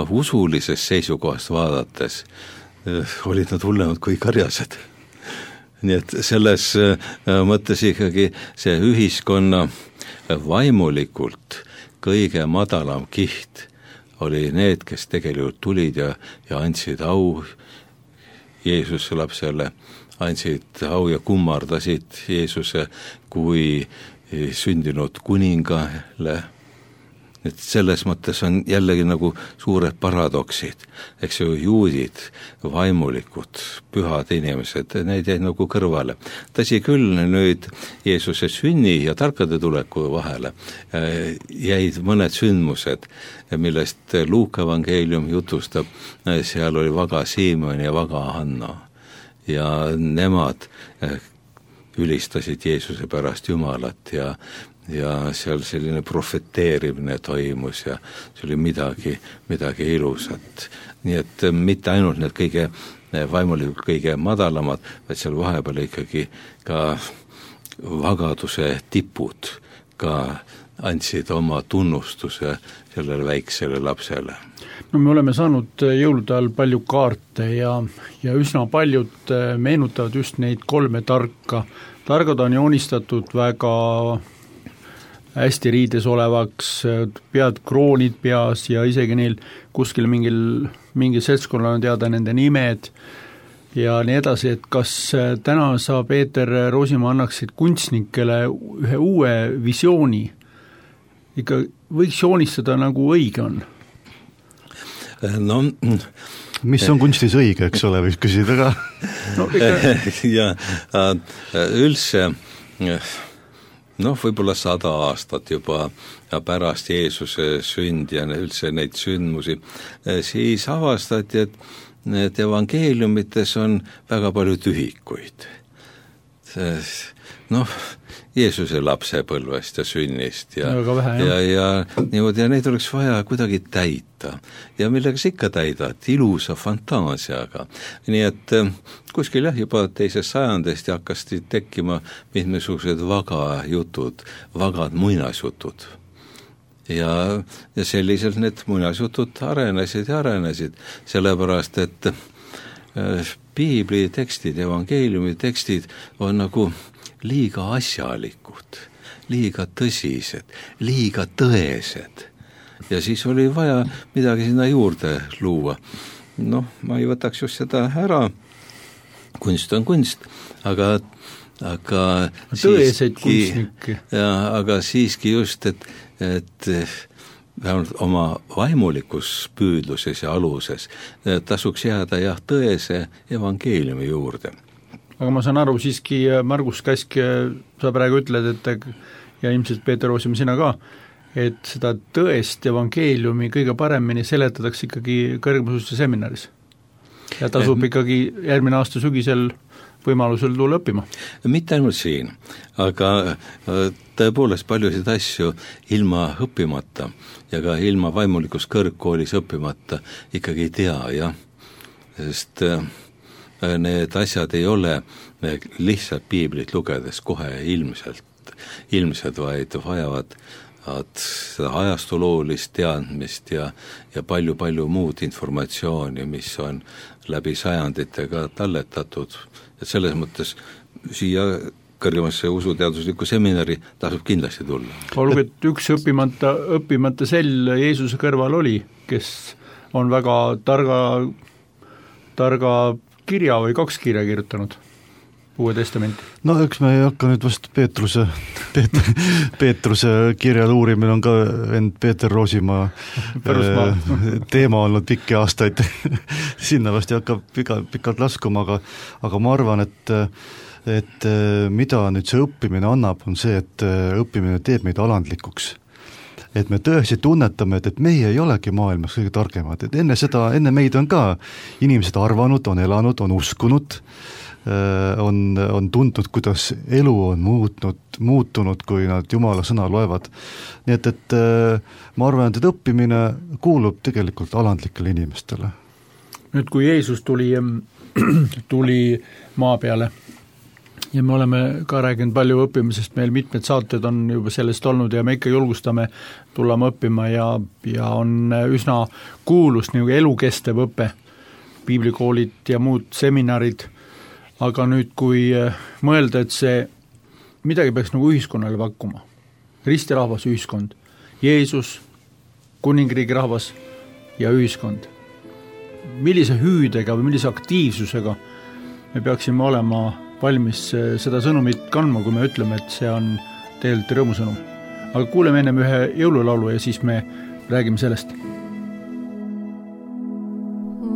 usulisest seisukohast vaadates olid nad hullemad kui karjased. Nii et selles mõttes ikkagi see ühiskonna vaimulikult kõige madalam kiht oli need, kes tegelikult tulid ja, ja andsid au Jeesuse lapsele, andsid au ja kummardasid Jeesuse kui sündinud kuningale. Et selles mõttes on jällegi nagu suured paradoksid, eks ju, juudid, vaimulikud, pühad inimesed, neid jäid nagu kõrvale. Tõsi küll, nüüd Jeesuse sünni ja tarkade tuleku vahele jäid mõned sündmused, millest Luuka evangeelium jutustab, seal oli vaga Siimon ja vaga Hanna, ja nemad ülistasid Jeesuse pärast Jumalat ja ja seal selline profeteerimine toimus ja see oli midagi, midagi ilusat. Nii et mitte ainult need kõige vaimulikult kõige madalamad, vaid seal vahepeal ikkagi ka vagaduse tipud ka andsid oma tunnustuse sellele väiksele lapsele. No me oleme saanud jõulude ajal palju kaarte ja, ja üsna paljud meenutavad just neid kolme tarka. Targad on joonistatud väga hästi riides olevaks, pead kroonid peas ja isegi neil kuskil mingil, mingi seltskonnal on teada nende nimed ja nii edasi, et kas täna sa, Peeter Roosimaa, annaksid kunstnikele ühe uue visiooni, ikka võiks joonistada nagu õige on? No, mis on kunstis õige, eks ole, võiks küsida ka? No, ikka... ja üldse noh, võib-olla sada aastat juba ja pärast Jeesuse sünd ja üldse neid sündmusi, siis avastati, et need evangeeliumites on väga palju tühikuid. noh, Jeesuse lapsepõlvest ja sünnist ja, vähe, ja, ja niimoodi, ja neid oleks vaja kuidagi täita. Ja millega sa ikka täidad, ilusa fantaasiaga. Nii et kuskil jah, juba teisest sajandist hakkasid tekkima mitmesugused vaga jutud, vagad muinasjutud. Ja, ja selliselt need muinasjutud arenesid ja arenesid, sellepärast, et piibli tekstid, evangeeliumi tekstid on nagu liiga asjalikud, liiga tõsised, liiga tõesed. Ja siis oli vaja midagi sinna juurde luua. Noh, ma ei võtaks just seda ära, kunst on kunst, aga, aga tõeseid kunstnikke. Ja, aga siiski just, et, et vähemalt oma vaimulikus püüdluses ja aluses tasuks jääda jah tõese evangeeliumi juurde. Aga ma saan aru siiski, Margus Käsk, sa praegu ütled, et ja ilmselt Peeter Roosimaa sina ka, et seda tõest evangeeliumi kõige paremini seletatakse ikkagi kõrgmõisuse seminaris. Ja tasub ikkagi järgmine aasta sügisel võimalusel tulla õppima. Mitte ainult siin, aga tõepoolest paljusid asju ilma õppimata ja ka ilma vaimulikus kõrgkoolis õppimata ikkagi ei tea, jah. Sest need asjad ei ole lihtsalt piiblit lugedes kohe ilmselt, ilmselt, vaid vajavad seda ajastuloolist teadmist ja, ja palju-palju muud informatsiooni, mis on läbi sajanditega talletatud. Et selles mõttes siia kõrgemasse usuteaduslikku seminari tasub kindlasti tulla. Olgu, et üks õppimata, õppimata sell Jeesuse kõrval oli, kes on väga targa, targa kirja või kaks kirja kirjutanud Uue Testamenti. No üks me ei hakka nüüd vast Peetruse, Peet, Peetruse kirjal uurimine on ka end Peeter Roosimaa teema olnud pikki aastaid. Sinna vast ei hakka pika, pikalt laskuma, aga, aga ma arvan, et, et mida nüüd see õppimine annab, on see, et õppimine teeb meid alandlikuks. Et me tõesti tunnetame, et, et meie ei olegi maailmas kõige targemad, et enne seda, enne meid on ka inimesed arvanud, on elanud, on uskunud, on, on tundnud, kuidas elu on muutnud, muutunud, kui nad Jumala sõna loevad. Nii et, et ma arvan, et õppimine kuulub tegelikult alandlikele inimestele. Nüüd, kui Jeesus tuli, tuli maa peale, ja me oleme ka rääkinud palju õppimisest, meil mitmed saated on juba sellest olnud ja me ikka julgustame tulema õppima ja, ja on üsna kuulus nagu elukestev õpe, piiblikoolid ja muud seminarid, aga nüüd kui mõelda, et see midagi peaks nagu ühiskonnale pakkuma, ristirahvas ühiskond, Jeesus, kuningriigi rahvas ja ühiskond, millise hüüdega või millise aktiivsusega me peaksime olema valmis seda sõnumit kandma, kui me ütleme, et see on tegelikult rõõmusõnum. Aga kuuleme ennem ühe jõululaulu ja siis me räägime sellest.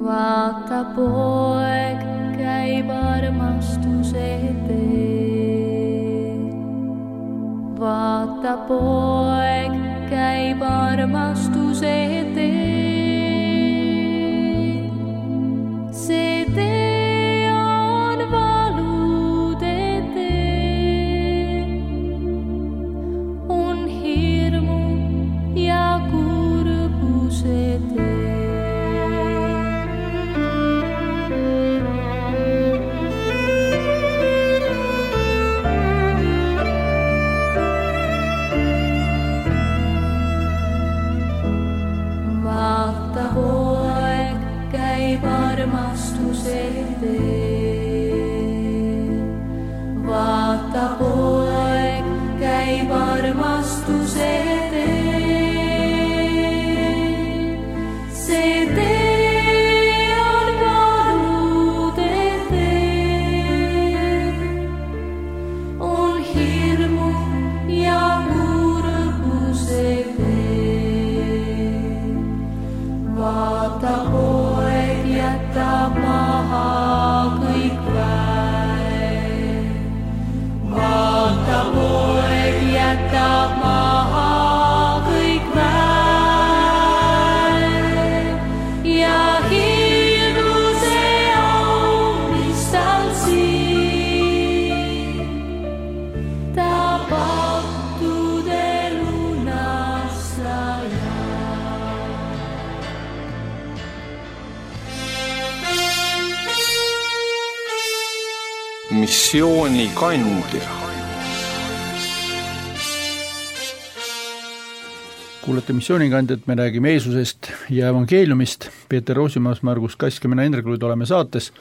Vaata poeg käib armastuse teel. Vaata poeg käib armastuse teel. See teel Vaata poeg käib armastuse teel. See tee on palude teel. On hirmu ja kurbuse teel. Vaata poeg jätab maha missioonikandja. Kuulete missioonikandjat, me räägime Jeesusest ja evangeeliumist. Peeter Roosimaas, Margus Kask ja mina Indrek Luid oleme saates.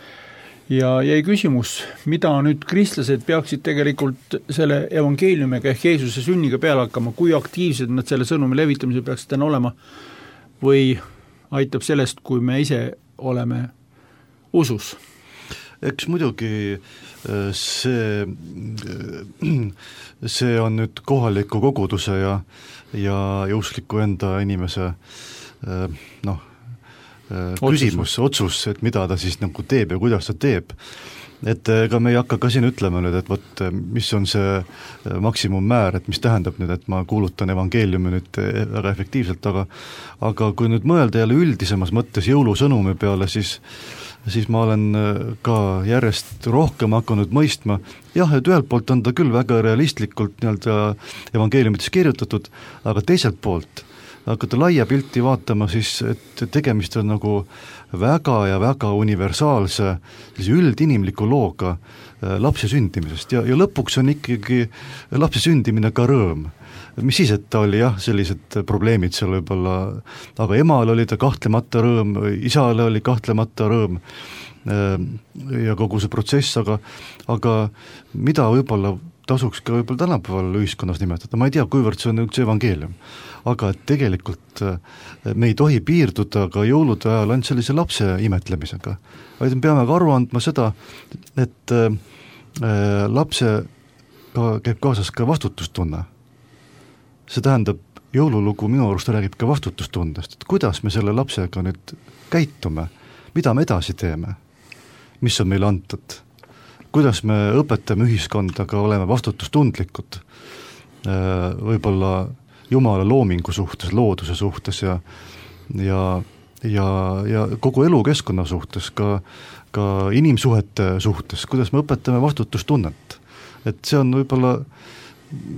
Ja jäi küsimus, mida nüüd kristlased peaksid tegelikult selle evangeeliumiga ehk Jeesuse sünniga peale hakkama, kui aktiivsed nad selle sõnumi levitamise peaksid täna olema või aitab sellest, kui me ise oleme usus? Eks muidugi see, see on nüüd kohaliku koguduse ja, ja, ja uskliku enda inimese noh, küsimus, otsus, et mida ta siis nagu teeb ja kuidas ta teeb. Et ega me ei hakka ka siin ütlema nüüd, et võt, mis on see maksimummäär, et mis tähendab nüüd, et ma kuulutan evangeeliumi nüüd väga efektiivselt, aga aga kui nüüd mõelda jälle üldisemas mõttes jõulusõnumi peale, siis siis ma olen ka järjest rohkem hakanud mõistma, jah, et ühelt poolt on ta küll väga realistlikult nii-öelda evangeeliumites kirjutatud, aga teiselt poolt hakata laia pilti vaatama, siis et tegemist on nagu väga ja väga universaalse üldinimliku looga lapse sündimisest ja, ja lõpuks on ikkagi lapse sündimine ka rõõm. Mis siis, et ta oli jah, sellised probleemid seal võib-olla, aga emal oli ta kahtlemata rõõm, isale oli kahtlemata rõõm ja kogu see protsess, aga, aga mida võib-olla tasuks ka võib-olla tänapäeval ühiskonnas nimetada, ma ei tea, kuivõrd see on üks evangeelium, aga tegelikult me ei tohi piirduda ka jõulude ajal ainult sellise lapse imetlemisega, vaid me peame ka aru andma seda, et lapse ka, käib kaasas ka vastutustunne. See tähendab, jõululugu minu arust räägib ka vastutustundest, et kuidas me selle lapsega nüüd käitume, mida me edasi teeme, mis on meile antud, kuidas me õpetame ühiskonda ka olema vastutustundlikud, võib-olla Jumala loomingu suhtes, looduse suhtes ja, ja, ja, ja kogu elukeskkonna suhtes, ka, ka inimsuhete suhtes, kuidas me õpetame vastutustunnet. Et see on võib-olla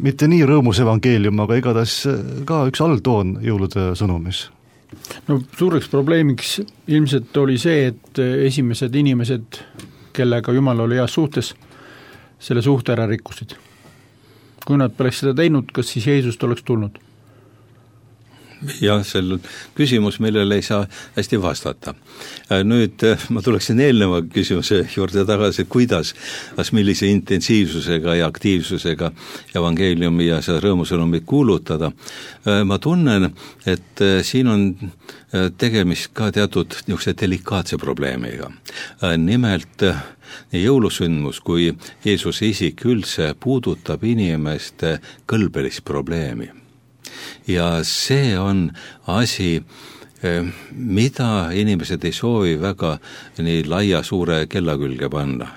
mitte nii rõõmus evangeelium, aga igatahes ka üks alltoon jõulude sõnumis. No suureks probleemiks ilmselt oli see, et esimesed inimesed, kellega Jumal oli heas suhtes, selle suhte ära rikkusid. Kui nad poleks seda teinud, kas siis Jeesust oleks tulnud? Jah, see on küsimus, millele ei saa hästi vastata. Nüüd ma tuleksin eelneva küsimuse juurde tagasi, kuidas, kas millise intensiivsusega ja aktiivsusega evangeeliumi ja seda rõõmusõnumit kuulutada. Ma tunnen, et siin on tegemist ka teatud niisuguse delikaatse probleemiga. Nimelt nii jõulusündmus kui Jeesuse isik üldse puudutab inimeste kõlbelist probleemi. Ja see on asi, mida inimesed ei soovi väga nii laia suure kella külge panna.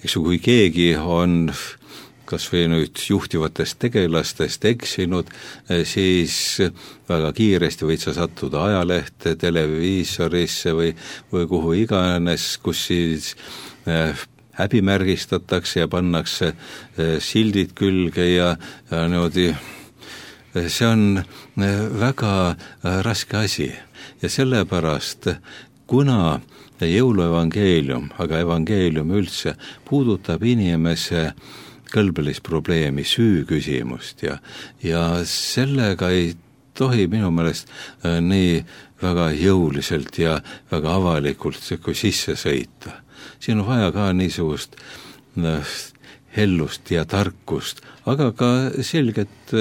Eks kui keegi on kas või nüüd juhtivatest tegelastest eksinud, siis väga kiiresti võid sa sattuda ajalehte, televiisorisse või, või kuhu iganes, kus siis häbimärgistatakse ja pannakse sildid külge ja, ja niimoodi. See on väga raske asi ja sellepärast, kuna jõuluevangeelium, aga evangeelium üldse puudutab inimese kõlbelist probleemi, süü küsimust ja, ja sellega ei tohi minu meelest nii väga jõuliselt ja väga avalikult kui sisse sõita. Siin on vaja ka niisugust hellust ja tarkust, aga ka selget,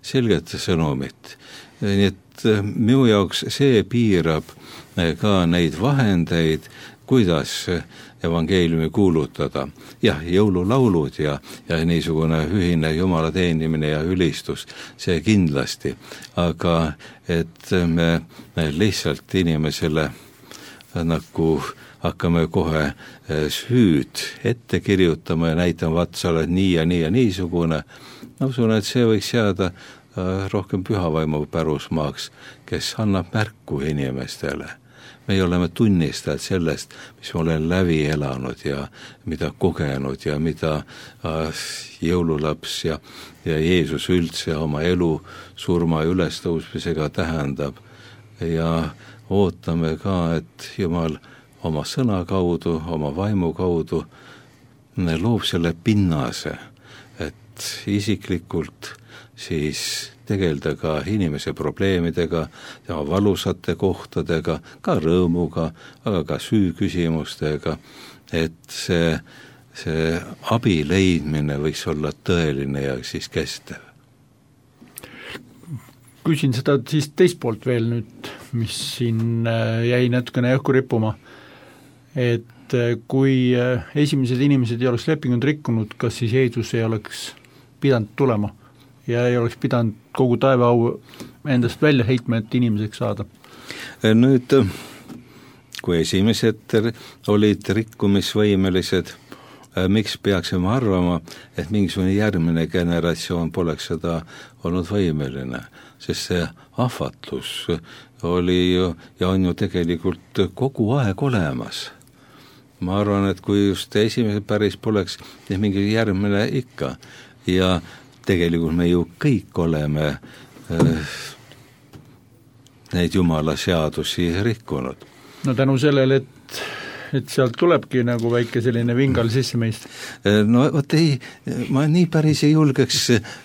selget sõnumit. Nii et minu jaoks see piirab ka neid vahendeid, kuidas evangeeliumi kuulutada. Jah, jõululaulud ja, ja niisugune ühine Jumala teenimine ja ülistus, see kindlasti. Aga et me, me lihtsalt inimesele nagu hakkame kohe süüd ette kirjutama ja näitama, vaat sa oled nii ja nii ja niisugune. Ma usun, et see võiks jääda rohkem pühavaimu pärusmaaks, kes annab märku inimestele. Me oleme tunnistajad sellest, mis me olen läbi elanud ja mida kogenud ja mida jõululaps ja, ja Jeesus üldse oma elu surma ülestõusmisega tähendab. Ja ootame ka, et Jumal oma sõna kaudu, oma vaimu kaudu loob selle pinnase, et isiklikult siis tegelda ka inimese probleemidega, tema valusate kohtadega, ka rõõmuga, aga ka süüküsimustega, et see, see abi leidmine võiks olla tõeline ja siis kestev. Küsin seda siis teist poolt veel nüüd, mis siin jäi natukene õhku rippuma, et kui esimesed inimesed ei oleks lepingut rikkunud, kas siis Jeesus ei oleks pidanud tulema ja ei oleks pidanud kogu taevaau endast välja heitma, et inimeseks saada? Nüüd, kui esimesed olid rikkumisvõimelised, miks peaksime arvama, et mingisugune järgmine generatsioon poleks seda olnud võimeline, sest see ahvatlus oli ju, ja on ju tegelikult kogu aeg olemas. Ma arvan, et kui just esimesed päris poleks, siis mingi järgmine ikka, ja tegelikult me ju kõik oleme äh, neid Jumala seadusi rikkunud. No tänu sellele, et, et sealt tulebki nagu väike selline vingal sisse meist. No vot ei, ma nii päris ei julgeks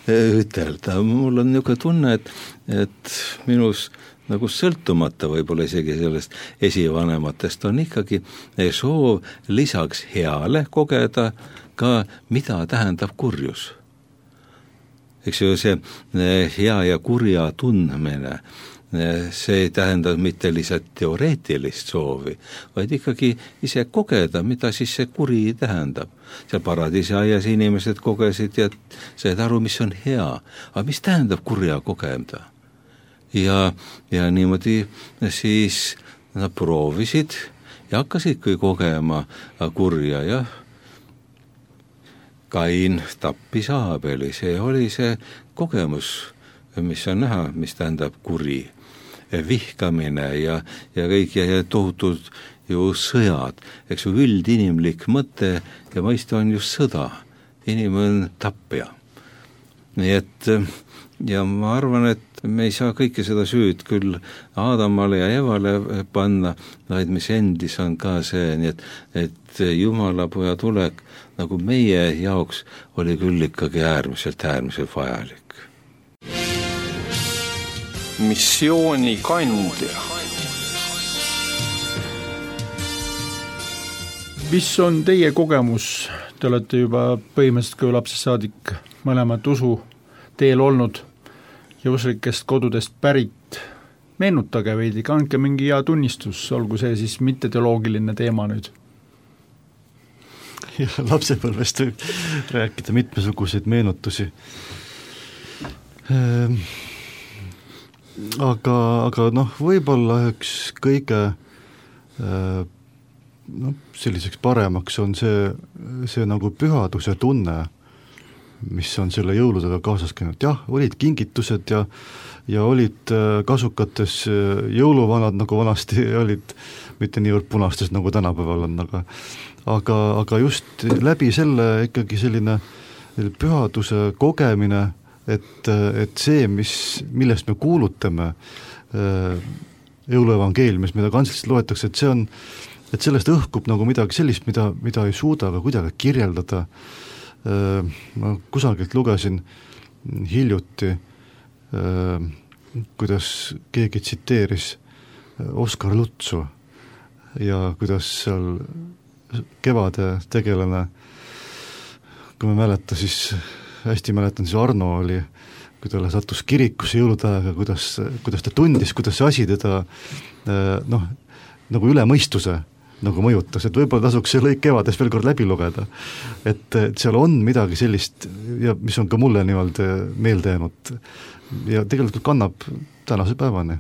ütelda, mul on niisugune tunne, et, et minus nagu sõltumata võib-olla isegi sellest esivanematest on ikkagi soov lisaks heale kogeda ka, mida tähendab kurjus. Eks ju see hea ja kurja tundmine, see ei tähenda mitte lihtsalt teoreetilist soovi, vaid ikkagi ise kogeda, mida siis see kuri tähendab. Seal paradiisi aias inimesed kogesid ja said aru, mis on hea, aga mis tähendab kurja kogeda. Ja, ja niimoodi siis nad proovisid ja hakkasidki kogema kurja ja Kain tappis Aabeli, see oli see kogemus, mis on näha, mis tähendab kuri, vihkamine ja, ja kõik ja, ja tohutud ju sõjad, eks ju üldinimlik mõte ja mõiste on just sõda, inimene on tappja. Nii et ja ma arvan, et me ei saa kõike seda süüd küll Aadamale ja Evale panna, vaid mis endis on ka see, nii et, et Jumala poja tulek nagu meie jaoks oli küll ikkagi äärmiselt, äärmiselt vajalik. Missiooni kandja. Mis on teie kogemus? Te olete juba põhimõtteliselt kui lapsest saadik mõlemad usu teel olnud ja usulikest kodudest pärit. Meenutage veidi, kandke mingi hea tunnistus, olgu see siis mitte teoloogiline teema nüüd. Ja lapsepõlvest võib rääkida mitmesuguseid meenutusi. Ehm, aga, aga noh, võib-olla üks kõige noh, selliseks paremaks on see, see nagu pühaduse tunne, mis on selle jõuludega kaasas käinud. Jah, olid kingitused ja, ja olid kasukates jõuluvanad, nagu vanasti olid, mitte niivõrd punastes, nagu tänapäeval on, aga aga, aga just läbi selle ikkagi selline pühaduse kogemine, et, et see, mis, millest me kuulutame jõuluevangeeliumis, mida kantseliselt loetakse, et see on, et sellest õhkub nagu midagi sellist, mida, mida ei suuda ka kuidagi kirjeldada. Ma kusagilt lugesin hiljuti, kuidas keegi tsiteeris Oskar Lutsu ja kuidas seal kevade tegelane, kui ma mäleta, siis hästi mäletan, siis Arno oli, kui ta sattus kirikusse jõulutähega, kuidas, kuidas ta tundis, kuidas see asi teda noh, nagu üle mõistuse nagu mõjutas, et võib-olla tasuks see lõik kevades veel kord läbi lugeda, et, et seal on midagi sellist ja mis on ka mulle niimoodi meelde jäänud ja tegelikult kannab tänase päevani.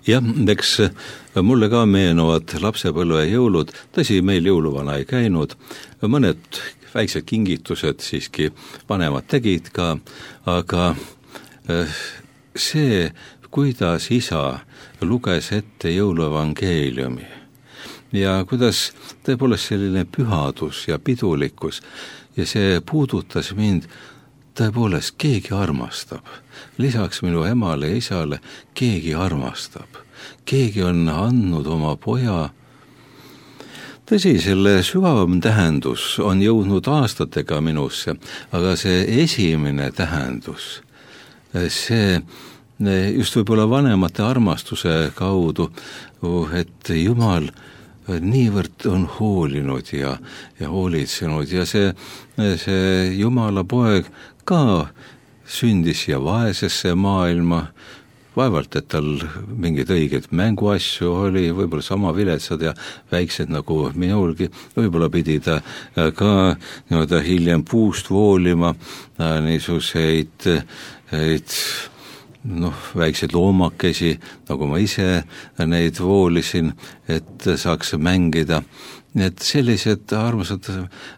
Jah, eks mulle ka meenuvad lapsepõlve jõulud, tõsi, meil jõuluvana ei käinud, mõned väiksed kingitused siiski vanemad tegid ka, aga see, kuidas isa luges ette jõuluevangeeliumi ja kuidas tõepoolest selline pühadus ja pidulikkus ja see puudutas mind, tõepoolest keegi armastab, lisaks minu emale ja isale keegi armastab, keegi on andnud oma poja tõsi, selle sügavam tähendus on jõudnud aastatega minusse, aga see esimene tähendus, see just võib-olla vanemate armastuse kaudu, et Jumal niivõrd on hoolinud ja, ja hoolitsenud ja see, see Jumala poeg ka sündis ja vaesesse maailma, vaevalt, et tal mingid õiged mänguasju oli, võib-olla sama viletsad ja väiksed nagu minulgi, võib-olla pidi ta ka nii-öelda hiljem puust voolima niisuguseid et, noh, väikseid loomakesi, nagu ma ise neid voolisin, et saaks mängida. Nii et sellised armsad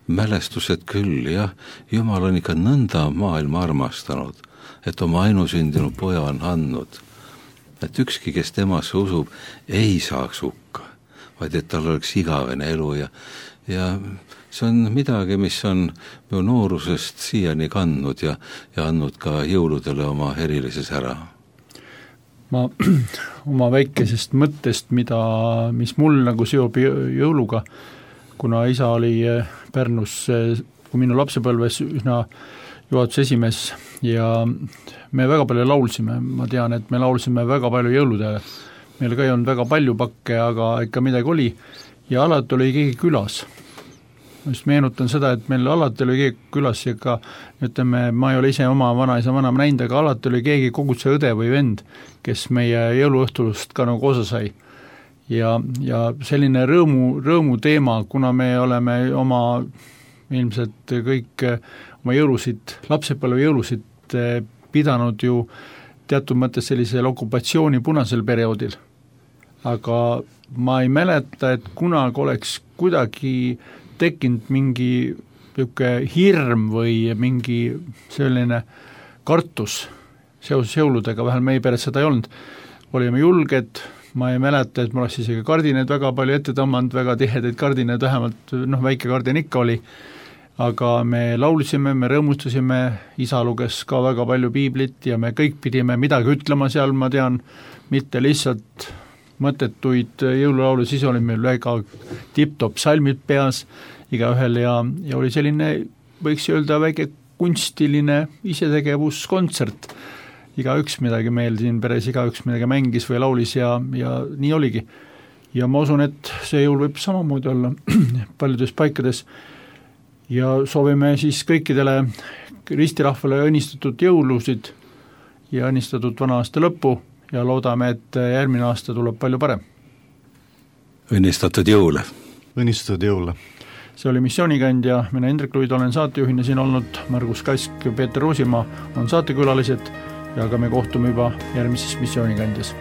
mälestused küll, jah, Jumal on ikka nõnda maailma armastanud, et oma ainusündinud poja on andnud. Et ükski, kes temasse usub, ei saaks hukka, vaid et tal oleks igavene elu ja, ja see on midagi, mis on minu noorusest siiani kandnud ja, ja andnud ka jõuludele oma erilises ära. Ma oma väikesest mõttest, mida, mis mul nagu seob jõuluga, kuna isa oli Pärnus, kui minu lapsepõlves üsna juhatuse esimees ja me väga palju laulsime, ma tean, et me laulsime väga palju jõuludele. Meil ka ei olnud väga palju pakke, aga ikka midagi oli ja alati oli keegi külas. Ma just meenutan seda, et meil alati oli keegi külas ja ka, ütleme, ma ei ole ise oma vanaisa vanam näinud, aga alati oli keegi koguduse õde või vend, kes meie jõuluõhtulust ka nagu osa sai. Ja, ja selline rõõmu, rõõmu teema, kuna me oleme oma ilmselt kõik oma jõulusid, lapsepõlve jõulusid pidanud ju teatud mõttes sellisel okupatsiooni punasel perioodil. Aga ma ei mäleta, et kunagi oleks kuidagi tekkinud mingi hirm või mingi selline kartus seoses jõuludega, vähemalt meie pered seda ei olnud. Olime julged, ma ei mäleta, et ma oleks isegi kardineid väga palju ette tõmmanud, väga tihedaid kardineid, vähemalt noh, väike kardin ikka oli, aga me laulsime, me rõõmustasime, isa luges ka väga palju piiblit ja me kõik pidime midagi ütlema seal, ma tean, mitte lihtsalt mõttetuid jõululaulu, siis oli meil väga tipp-top salmid peas igaühel ja, ja oli selline, võiks öelda, väike kunstiline isetegevuskontsert. Igaüks midagi meil siin peres, igaüks midagi mängis või laulis ja, ja nii oligi. Ja ma usun, et see jõul võib samamoodi olla paljudes paikades ja soovime siis kõikidele ristirahvale õnnistatud jõulusid ja õnnistatud vana aasta lõppu ja loodame, et järgmine aasta tuleb palju parem. Õnnistatud jõule. Õnnistatud jõule. See oli Missioonikandja, mina Hendrik Luid olen saatejuhina siin olnud, Margus Kask ja Peeter Roosimaa on saatekülalised ja ka me kohtume juba järgmises Missioonikandjas.